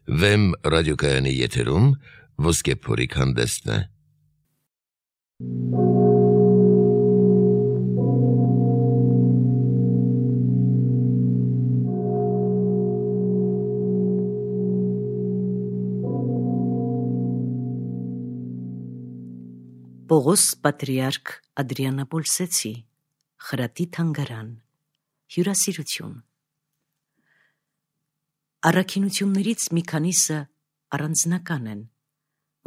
Վեմ ռադիոկայանի եթերում ոսկե փորիկ հանդեսն է։ Պողոս պատրիարք Ադրիանապոլսեցի, խրատի թանգարան, հյուրասիրություն։ Առաքինություններից մի քանիսը առանձնական են,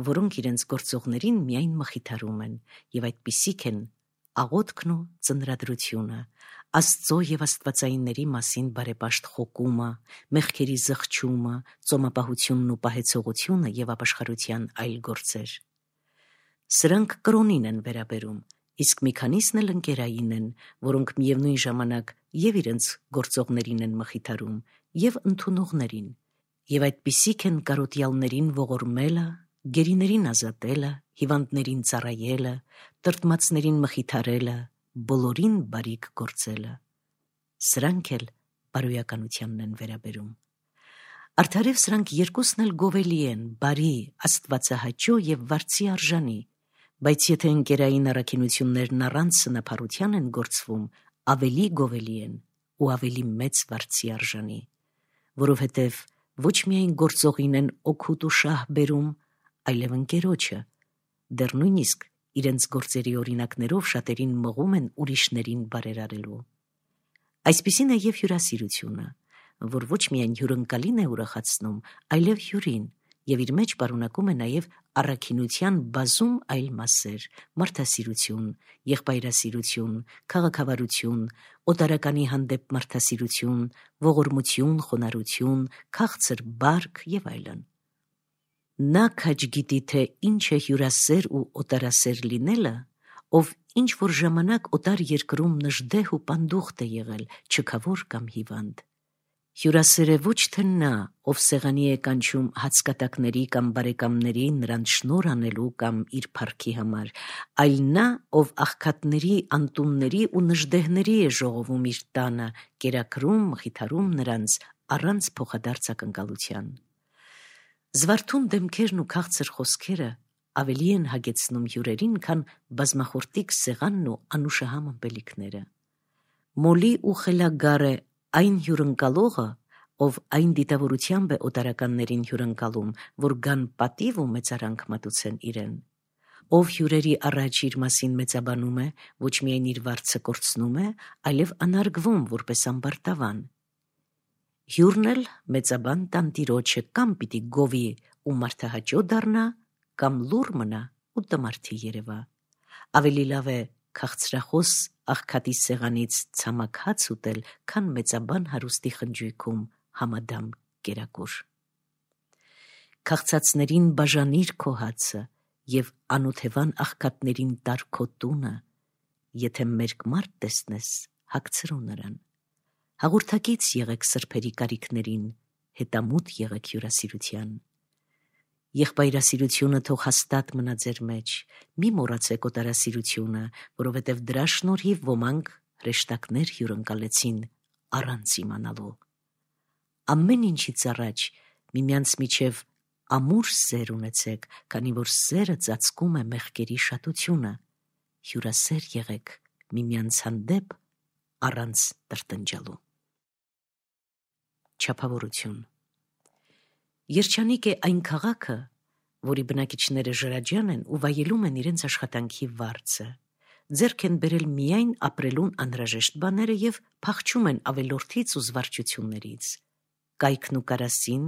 որոնք իրենց գործողներին միայն մխիթարում են, եւ այդպիսիք են աղոթքն ու ծնրադրությունը, Աստծո եւ աստվածայինների մասին բարեպաշտ խոկումը, մեղքերի զղջումը, ծոմապահությունն ու պահեցողությունը եւ ապաշխարության այլ գործեր։ Սրանք կրոնին են վերաբերում, իսկ մի քանիսն էլ ընկերային են, որոնք միևնույն ժամանակ եւ իրենց գործողներին են մխիթարում, եւ ընդունողներին, եւ այդպիսիք են կարոտյալներին ողորմելը, գերիներին ազատելը, հիվանդներին ծառայելը, տրտմածներին մխիթարելը, բոլորին բարիք գործելը։ Սրանք էլ բարոյականությանն են վերաբերում։ Արդարև սրանք երկուսն էլ գովելի են, բարի, աստվածահաճո եւ վարձի արժանի, բայց եթե ընկերային առաքինություններն առանց սնափառության են գործվում, ավելի գովելի են ու ավելի մեծ վարձի արժանի, որովհետև ոչ միայն գործողին են օգուտ ու շահ բերում, այլև ընկերոջը, դեռ նույնիսկ իրենց գործերի օրինակներով շատերին մղում են ուրիշներին բարերարելու։ Այսպիսին է եւ հյուրասիրությունը, որ ոչ միայն հյուրընկալին է ուրախացնում, այլև հյուրին, եւ իր մեջ պարունակում է նաեւ առաքինության բազում այլ մասեր՝ մարդասիրություն, եղբայրասիրություն, քաղաքավարություն, օտարականի հանդեպ մարդասիրություն, ողորմություն, խոնարհություն, քաղցր բարք եւ այլն։ Նա քաջ գիտի, թե ինչ է հյուրասեր ու օտարասեր լինելը, ով ինչ որ ժամանակ օտար երկրում նժդեհ ու պանդուխտ է եղել, չքավոր կամ հիվանդ։ Հյուրասեր է ոչ թե նա, ով սեղանի է կանչում հացկատակների կամ բարեկամների նրանց շնորհ անելու կամ իր փառքի համար, այլ նա, ով աղքատների, անտունների ու նժդեհների է ժողովում իր տանը, կերակրում, մխիթարում նրանց առանց փոխադարձ ակնկալության։ Զվարթուն դեմքերն ու քաղցր խոսքերը ավելի են հագեցնում հյուրերին, քան բազմախորտիկ սեղանն ու անուշահամ ըմպելիքները։ Մոլի ու խելագար է այն հյուրընկալողը, ով այն դիտավորությամբ է օտարականներին հյուրընկալում, որ գան պատիվ ու մեծարանք մատուցեն իրեն, ով հյուրերի առաջ իր մասին մեծաբանում է, ոչ միայն իր վարձը կորցնում է, այլև անարգվում որպես ամբարտավան։ Հյուրն էլ մեծաբան տանտիրոջը կամ պիտի գովի ու մարդահաճո դառնա, կամ լուռ մնա ու տմարդի երևա։ Ավելի լավ է քաղցրախոս աղքատի սեղանից ցամաք հաց ուտել, քան մեծաբան հարուստի խնջույքում համադամ կերակուր։ Քաղցածներին բաժանիր քո հացը եւ անօթևան աղքատներին տար քո տունը, եթե մերկ մարդ տեսնես, հագցրու նրան։ Հաղորդակից եղեք սրբերի կարիքներին, հետամուտ եղեք հյուրասիրության։ Եղբայրասիրությունը թող հաստատ մնա ձեր մեջ, մի մոռացեք օտարասիրությունը, որովհետև դրա շնորհիվ ոմանք հրեշտակներ հյուրընկալեցին առանց իմանալու։ Ամեն ինչից առաջ միմյանց միջև ամուր սեր ունեցեք, քանի որ սերը ծածկում է մեղքերի շատությունը։ Հյուրասեր եղեք միմյանց հանդեպ առանց տրտնջալու։ Չափավորություն։ Երջանիկ է այն քաղաքը, որի բնակիչները ժրաջան են ու վայելում են իրենց աշխատանքի վարձը, ձեռք են բերել միայն ապրելուն անհրաժեշտ բաները եւ փախչում են ավելորդից ու զվարճություններից։ Կայքն ու կարասին,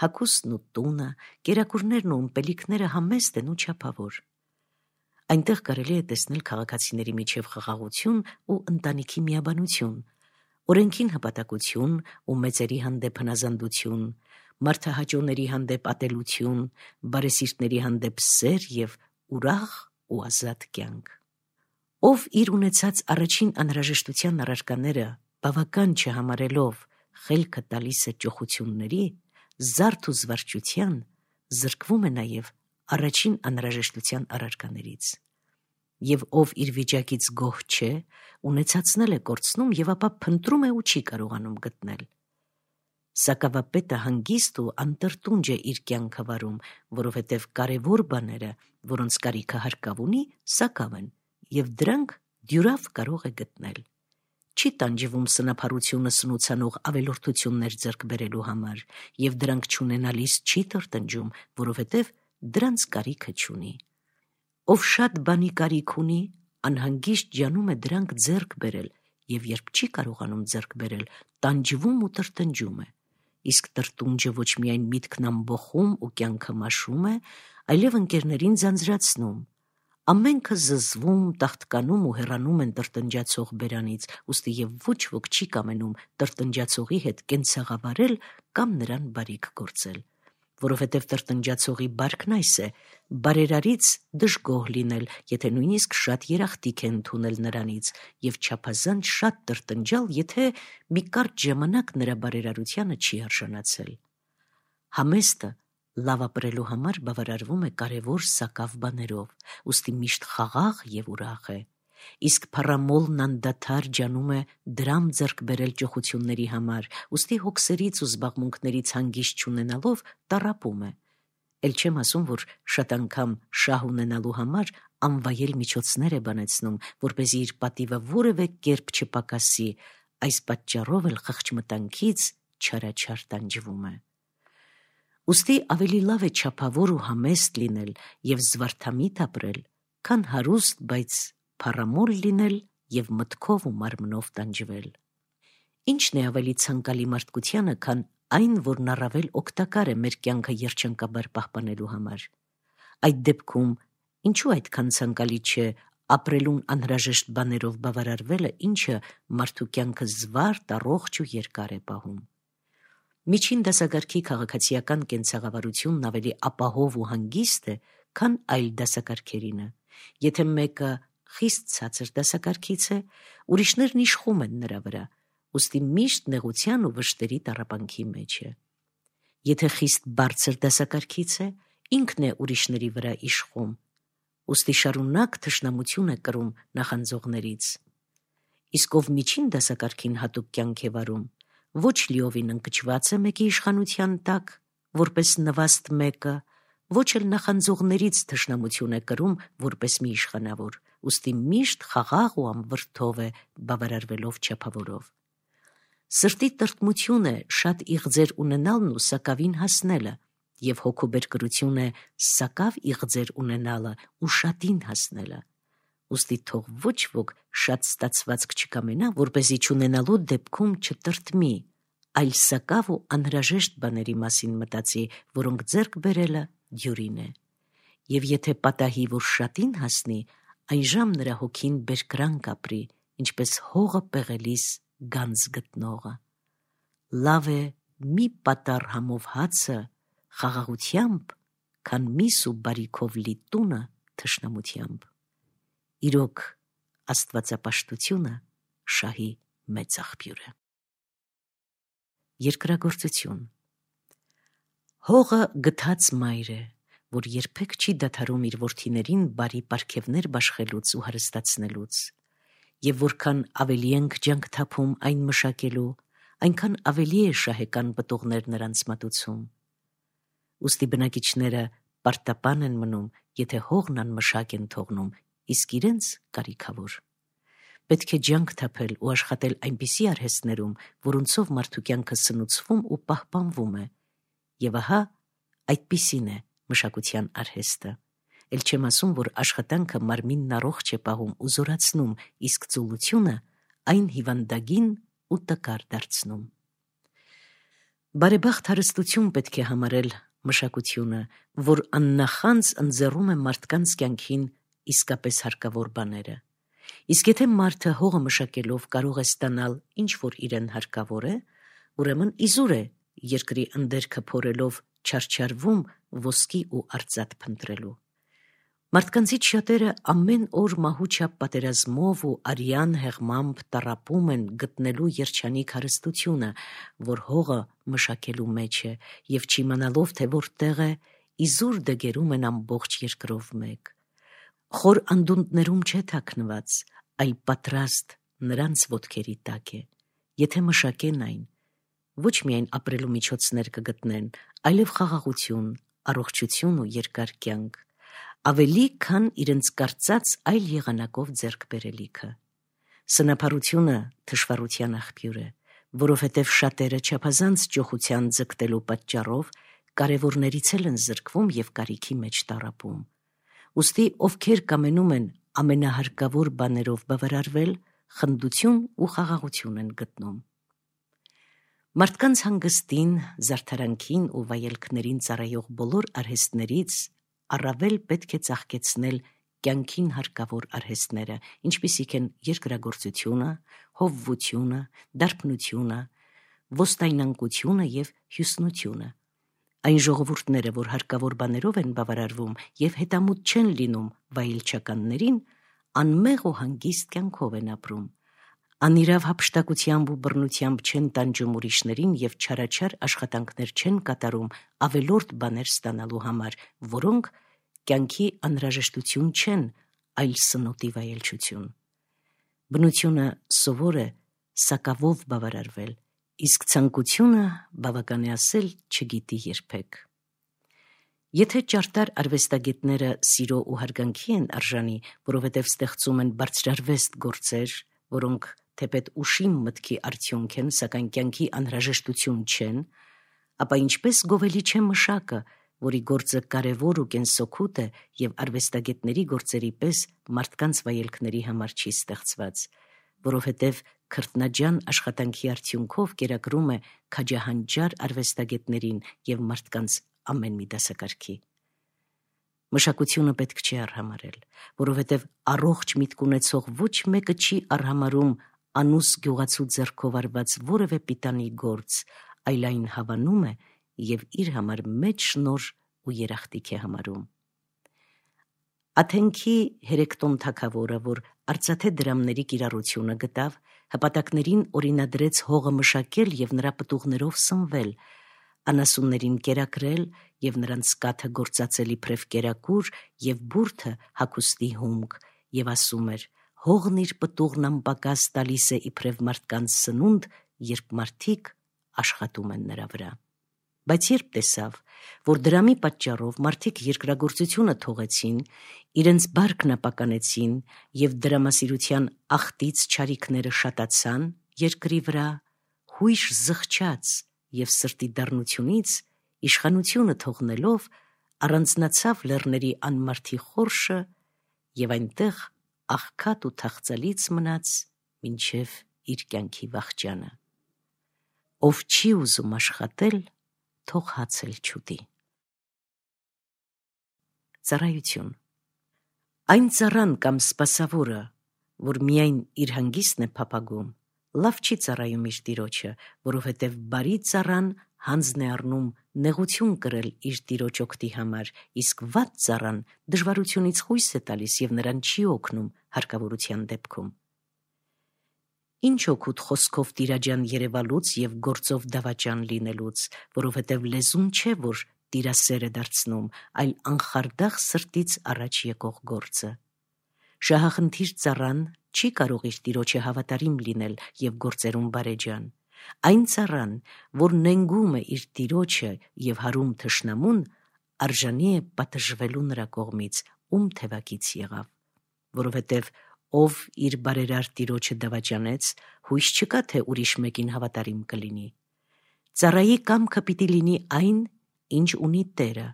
հագուստն ու տունը, կերակուրներն ու ըմպելիքները համեստ են ու չափավոր։ Այնտեղ կարելի է տեսնել քաղաքացիների միջև խաղաղություն ու ընտանիքի միաբանություն, օրենքին հպատակություն ու մեծերի հանդեպ հնազանդություն, մարդահաճոների հանդեպ ատելություն, բարեսիրտների հանդեպ սեր եւ ուրախ ու ազատ կյանք։ Ով իր ունեցած առաջին անհրաժեշտության առարկաները բավական չհամարելով խելքը տալիս է ճոխությունների, զարդ ու զվարճության, զրկվում է նաեւ առաջին անհրաժեշտության առարկաներից։ Եվ ով իր վիճակից գոհ չէ, ունեցածնել է կորցնում եւ ապա փնտրում է ու չի կարողանում գտնել։ Սակավապետը հանգիստ ու անտրտունջ է իր կյանքը վարում, որովհետև կարևոր բաները, որոնց կարիքը հարկավ ունի, սակավ են, և դրանք դյուրավ կարող է գտնել։ Չի տանջվում սնափառությունը սնուցանող ավելորդություններ ձեռք բերելու համար, և դրանք չունենալիս չի տրտնջում, որովհետև դրանց կարիքը չունի։ Ով շատ բանի կարիք ունի, անհանգիստ ջանում է դրանք ձեռք բերել, և երբ չի կարողանում ձեռք բերել, տանջվում ու տրտնջում է։ Իսկ տրտունջը ոչ միայն միտքն ամբոխում ու կյանքը մաշում է, այլև ընկերներին ձանձրացնում։ Ամենքը զզվում, տաղտկանում ու հեռանում են տրտնջացող բերանից, ուստի և ոչ ոք չի կամենում տրտնջացողի հետ կենցաղավարել կամ նրան բարիք գործել, որովհետև տրտնջացողի բարքն այս է՝ բարերարից դժգոհ լինել, եթե նույնիսկ շատ երախտիկ է ընդունել նրանից, և չափազանց շատ տրտնջալ, եթե մի կարճ ժամանակ նրա բարերարությանը չի արժանացել։ Համեստը լավ ապրելու համար բավարարվում է կարևոր սակավ բաներով, ուստի միշտ խաղաղ և ուրախ է, իսկ փառամոլն անդադար ջանում է դրամ ձեռք բերել ճոխությունների համար, ուստի հոգսերից ու զբաղմունքներից հանգիստ չունենալով տառապում է։ Էլ չեմ ասում, որ շատ անգամ շահ ունենալու համար անվայել միջոցներ է բանեցնում, որպեսզի իր պատիվը որևէ կերպ չպակասի, այս պատճառով էլ խղճմտանքից չարաչար տանջվում է։ Ուստի ավելի լավ է չափավոր ու համեստ լինել և զվարթամիտ ապրել, քան հարուստ, բայց փառամոլ լինել և մտքով ու մարմնով տանջվել։ Ինչն է ավելի ցանկալի մարդկությանը, քան այն, որն առավել օգտակար է մեր կյանքը երջանկաբար պահպանելու համար։ Այդ դեպքում ինչու այդքան ցանկալի չէ ապրելուն անհրաժեշտ բաներով բավարարվելը, ինչը մարդու կյանքը զվարթ, առողջ ու երկար է պահում։ Միջին դասակարգի քաղաքացիական կենցաղավարությունն ավելի ապահով ու հանգիստ է, քան այլ դասակարգերինը։ Եթե մեկը խիստ ցածր դասակարգից է, ուրիշներն իշխում են նրա վրա, ուստի միշտ նեղության ու վշտերի տառապանքի մեջ է։ Եթե խիստ բարձր դասակարգից է, ինքն է ուրիշների վրա իշխում, ուստի շարունակ թշնամություն է կրում նախանձողներից։ Իսկ ով միջին դասակարգին հատուկ կյանք է վարում, ոչ լիովին ընկճված է մեկի իշխանության տակ, որպես նվաստ մեկը, ոչ էլ նախանձողներից թշնամություն է կրում որպես մի իշխանավոր, ուստի միշտ խաղաղ ու անվրդով է բավարարվելով չափավորով։ Սրտի տրտմություն է շատ իղձեր ունենալն ու սակավին հասնելը, և հոգուբերկրություն է սակավ իղձեր ունենալը ու շատին հասնելը։ Ուստի թող ոչ ոք շատ ստացվածք չկամենա, որպեսզի չունենալու դեպքում չտրտմի, այլ սակավ ու անհրաժեշտ բաների մասին մտածի, որոնք ձեռք բերելը դյուրին է։ Եվ եթե պատահի, որ շատին հասնի, այժմ նրա հոգին բերկրանք ապրի, ինչպես հողը պեղելիս գանձ գտնողը։ Լավ է մի պատառ համով հացը խաղաղությամբ, քան միս ու բարիքով լի տունը թշնամությամբ։ Իրոք, աստվածապաշտությունը շահի մեծ աղբյուր է։ Երկրագործություն։ Հողը գթած մայր է, որ երբեք չի դադարում իր որդիներին բարի պարգևներ բաշխելուց ու հարստացնելուց, և որքան ավելի ենք ջանք թափում այն մշակելու, այնքան ավելի է շահեկան պտուղներ նրանց մատուցում։ Ուստի բնակիչները պարտապան են մնում, եթե հողն անմշակ են թողնում, իսկ իրենց կարիքավոր։ Պետք է ջանք թափել ու աշխատել այնպիսի արհեստներում, որոնցով մարդու կյանքը սնուցվում ու պահպանվում է, և ահա այդպիսին է մշակության արհեստը։ Էլ չեմ ասում, որ աշխատանքը մարմինն առողջ է պահում ու զորացնում, իսկ ծուլությունը այն հիվանդագին ու տկար դարձնում։ Բարեբախտ հարստություն պետք է համարել մշակությունը, որ աննախանձ ընձեռում է մարդկանց կյանքին իսկապես հարկավոր բաները։ Իսկ եթե մարդը հողը մշակելով կարող է ստանալ ինչ որ իրեն հարկավոր է, ուրեմն իզուր է երկրի ընդերքը փորելով չարչարվում ոսկի ու արծաթ փնտրելու։ Մարդկանցից շատերը ամեն օր մահուչապ պատերազմով ու արյան հեղմամբ տառապում են գտնելու երջանիկ հարստությունը, որ հողը մշակելու մեջ է, և չիմանալով, թե որտեղ է, իզուր դգերում են ամբողջ երկրով մեկ։ Խոր անդունդներում չէ թաքնված, այլ պատրաստ նրանց ոտքերի տակ է, եթե մշակեն այն, ոչ միայն ապրելու միջոցներ կգտնեն, այլև խաղաղություն, առողջություն ու երկար կյանք, ավելի քան իրենց կարծած այլ եղանակով ձեռք բերելիքը։ Սնափառությունը թշվառության աղբյուր է, որովհետև շատերը չափազանց ճոխության ձգտելու պատճառով կարևորներից են զրկվում և կարիքի մեջ տառապում։ Ուստի ովքեր կամենում են ամենահարկավոր բաներով բավարարվել, խնդություն ու խաղաղություն են գտնում։ Մարդկանց հանգստին, զարդարանքին ու վայելքներին ծառայող բոլոր արհեստներից առավել պետք է ծաղկեցնել կյանքին հարկավոր արհեստները, ինչպիսիք են երկրագործությունը, հովվությունը, դարբնությունը, ոստայնանկությունը և հյուսնությունը։ Այն ժողովուրդները, որ հարկավոր բաներով են բավարարվում և հետամուտ չեն լինում վայելչականներին, անմեղ ու հանգիստ կյանքով են ապրում, անիրավ հափշտակությամբ ու բռնությամբ չեն տանջում ուրիշներին և չարաչար աշխատանքներ չեն կատարում ավելորդ բաներ ստանալու համար, որոնք կյանքի անհրաժեշտություն չեն, այլ սնոտի վայելչություն։ Բնությունը սովոր է սակավով բավարարվել, իսկ ցանկությունը բավական է ասել չգիտի երբեք։ Եթե ճարտար արվեստագետները սիրո ու հարգանքի են արժանի, որովհետև ստեղծում են բարձրարվեստ գործեր, որոնք թեպետ ուշիմ մտքի արդյունք են, սակայն կյանքի անհրաժեշտություն չեն, ապա ինչպես գովելի չէ մշակը, որի գործը կարևոր ու կենսօգուտ է և արվեստագետների գործերի պես մարդկանց վայելքների համար չի ստեղծված, որովհետև քրտնաջան աշխատանքի արդյունքով կերակրում է քաջահանջար արվեստագետներին և մարդկանց ամեն մի դասակարգի։ Մշակությունը պետք չի արհամարհել, որովհետև առողջ միտք ունեցող ոչ մեկը չի արհամարհում անուս գյուղացու ձեռքով արված որևէ պիտանի գործ, այլ այն հավանում է և իր համար մեծ շնորհ ու երախտիկ է համարում։ Աթենքի Հերեկտոն թագավորը, որ արծաթե դրամների կիրառությունը գտավ, հպատակներին օրինադրեց հողը մշակել և նրա պտուղներով սնվել, անասուններին կերակրել և նրանց կաթը գործածել իբրև կերակուր և բուրդը հագուստի հումք, և ասում էր. հողն իր պտուղն անպակաս տալիս է իբրև մարդկանց սնունդ, երբ մարդիկ աշխատում են նրա վրա։ Բայց երբ տեսավ, որ դրամի պատճառով մարդիկ երկրագործությունը թողեցին, իրենց բարքն ապականեցին և դրամասիրության աղտից չարիքները շատացան երկրի վրա, հույժ զղջաց և սրտի դառնությունից իշխանությունը թողնելով առանձնացավ լեռների անմարդի խորշը և այնտեղ աղքատ ու թախծալից մնաց մինչև իր կյանքի վախճանը։ Ով չի ուզում աշխատել, թող հաց էլ չուտի։ Ծառայություն։ Այն ծառան կամ սպասավորը, որ միայն իր հանգիստն է փափագում, լավ չի ծառայում իր տիրոջը, որովհետև բարի ծառան հանձն է առնում նեղություն կրել իր տիրոջ օգտի համար, իսկ վատ ծառան դժվարությունից խույս է տալիս և նրան չի օգնում հարկավորության դեպքում։ Ինչ օգուտ խոսքով տիրաջան երևալուց և գործով դավաճան լինելուց, որովհետև լեզուն չէ, որ տիրասեր է դարձնում, այլ անխարդախ սրտից առաջ եկող գործը։ Շահախնդիր ծառան չի կարող իր տիրոջը հավատարիմ լինել և գործերում բարեջան։ Այն ծառան, որ նենգում է իր տիրոջը և հարում թշնամուն, արժանի է պատժվելու նրա կողմից, ում թևակից եղավ, որովհետև ով իր բարերար տիրոջը դավաճանեց, հույս չկա, թե ուրիշ մեկին հավատարիմ կլինի։ Ծառայի կամքը պիտի լինի այն, ինչ ունի տերը,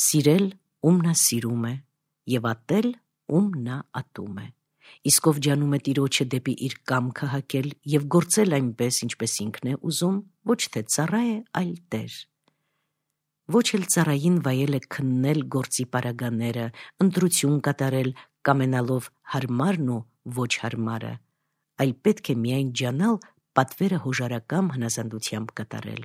սիրել, ում նա սիրում է, և ատել, ում նա ատում է, իսկ ով ջանում է տիրոջը դեպի իր կամքը հակել և գործել այնպես, ինչպես ինքն է ուզում, ոչ թե ծառա է, այլ տեր։ Ոչ էլ ծառային վայել է քննել գործի պարագաները, ընտրություն կատարել, կամենալով հարմարն ու ոչ հարմարը, այլ պետք է միայն ջանալ պատվերը հոժարակամ հնազանդությամբ կատարել։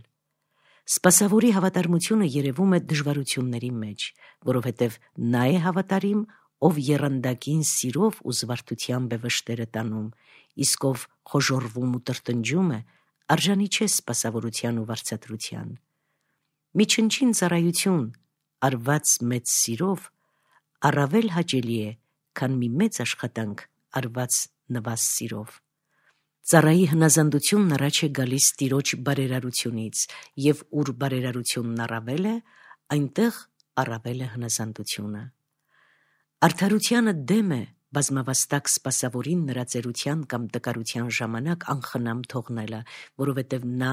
Սպասավորի հավատարմությունը երևում է դժվարությունների մեջ, որովհետև նա է հավատարիմ, ով եռանդակին սիրով ու զվարթությամբ է վշտերը տանում, իսկ ով խոժոռվում ու տրտնջում է, արժանի չէ սպասավորության ու վարձատրության։ Մի չնչին ծառայություն, արված մեծ սիրով, առավել հաճելի է, քան մի մեծ աշխատանք, արված նվազ սիրով։ Ծառայի հնազանդությունն առաջ է գալիս տիրոջ բարերարությունից, եւ ուր բարերարությունն առավել է, այնտեղ առավել է հնազանդությունը։ Արդարությանը դեմ է բազմավաստակ սպասավորին նրա ծերության կամ տկարության ժամանակ անխնամ թողնելը, որովհետև նա,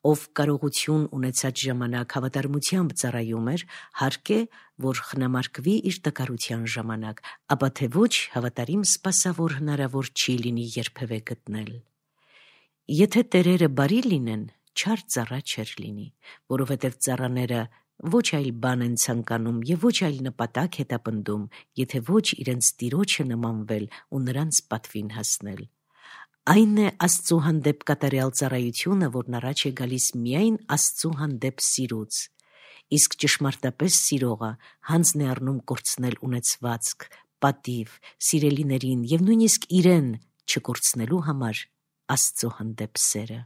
ով կարողություն ունեցած ժամանակ հավատարմությամբ ծառայում էր, հարկ է, որ խնամարկվի իր տկարության ժամանակ, ապա թե ոչ հավատարիմ սպասավոր հնարավոր չի լինի երբևէ գտնել։ Եթե տերերը բարի լինեն, չար ծառա չէր լինի, որովհետև ծառաները ոչ այլ բան են ցանկանում եւ ոչ այլ նպատակ հետապնդում, եթե ոչ իրենց տիրոջը նմանվել ու նրանց պատվին հասնել։ Այն է Աստծու հանդեպ կատարյալ ծառայությունը, որն առաջ է գալիս միայն Աստծու հանդեպ սիրուց, իսկ ճշմարտապես սիրողը հանձն է առնում կորցնել ունեցվածք, պատիվ, սիրելիներին եւ նույնիսկ իրեն չկորցնելու համար Աստծու հանդեպ սերը։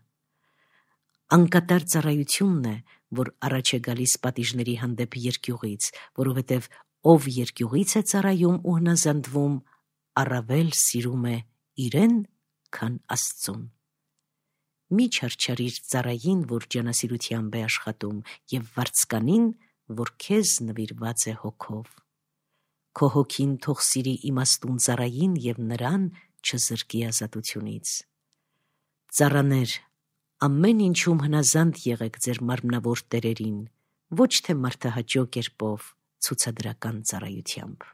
Անկատար ծառայությունն է, որ առաջ է գալիս պատիժների հանդեպ երկյուղից, որովհետև ով երկյուղից է ծառայում ու հնազանդվում, առավել սիրում է իրեն, քան Աստծուն։ Մի չարչարիր ծառային, որ ջանասիրությամբ է աշխատում, եւ վարձկանին, որ քեզ նվիրված է հոգով։ Քո հոգին թող սիրի իմաստուն ծառային եւ նրան չզրկի ազատությունից։ Ծառաներ, ամեն ինչում հնազանդ եղեք ձեր մարմնավոր տերերին, ոչ թե մարդահաճո կերպով, ցուցադրական ծառայությամբ։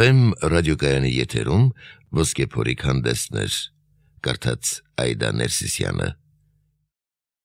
Վեմ ռադիոկայանի եթերում ոսկե փորիկ հանդեսներ, կարդաց Այդա Ներսիսյանը։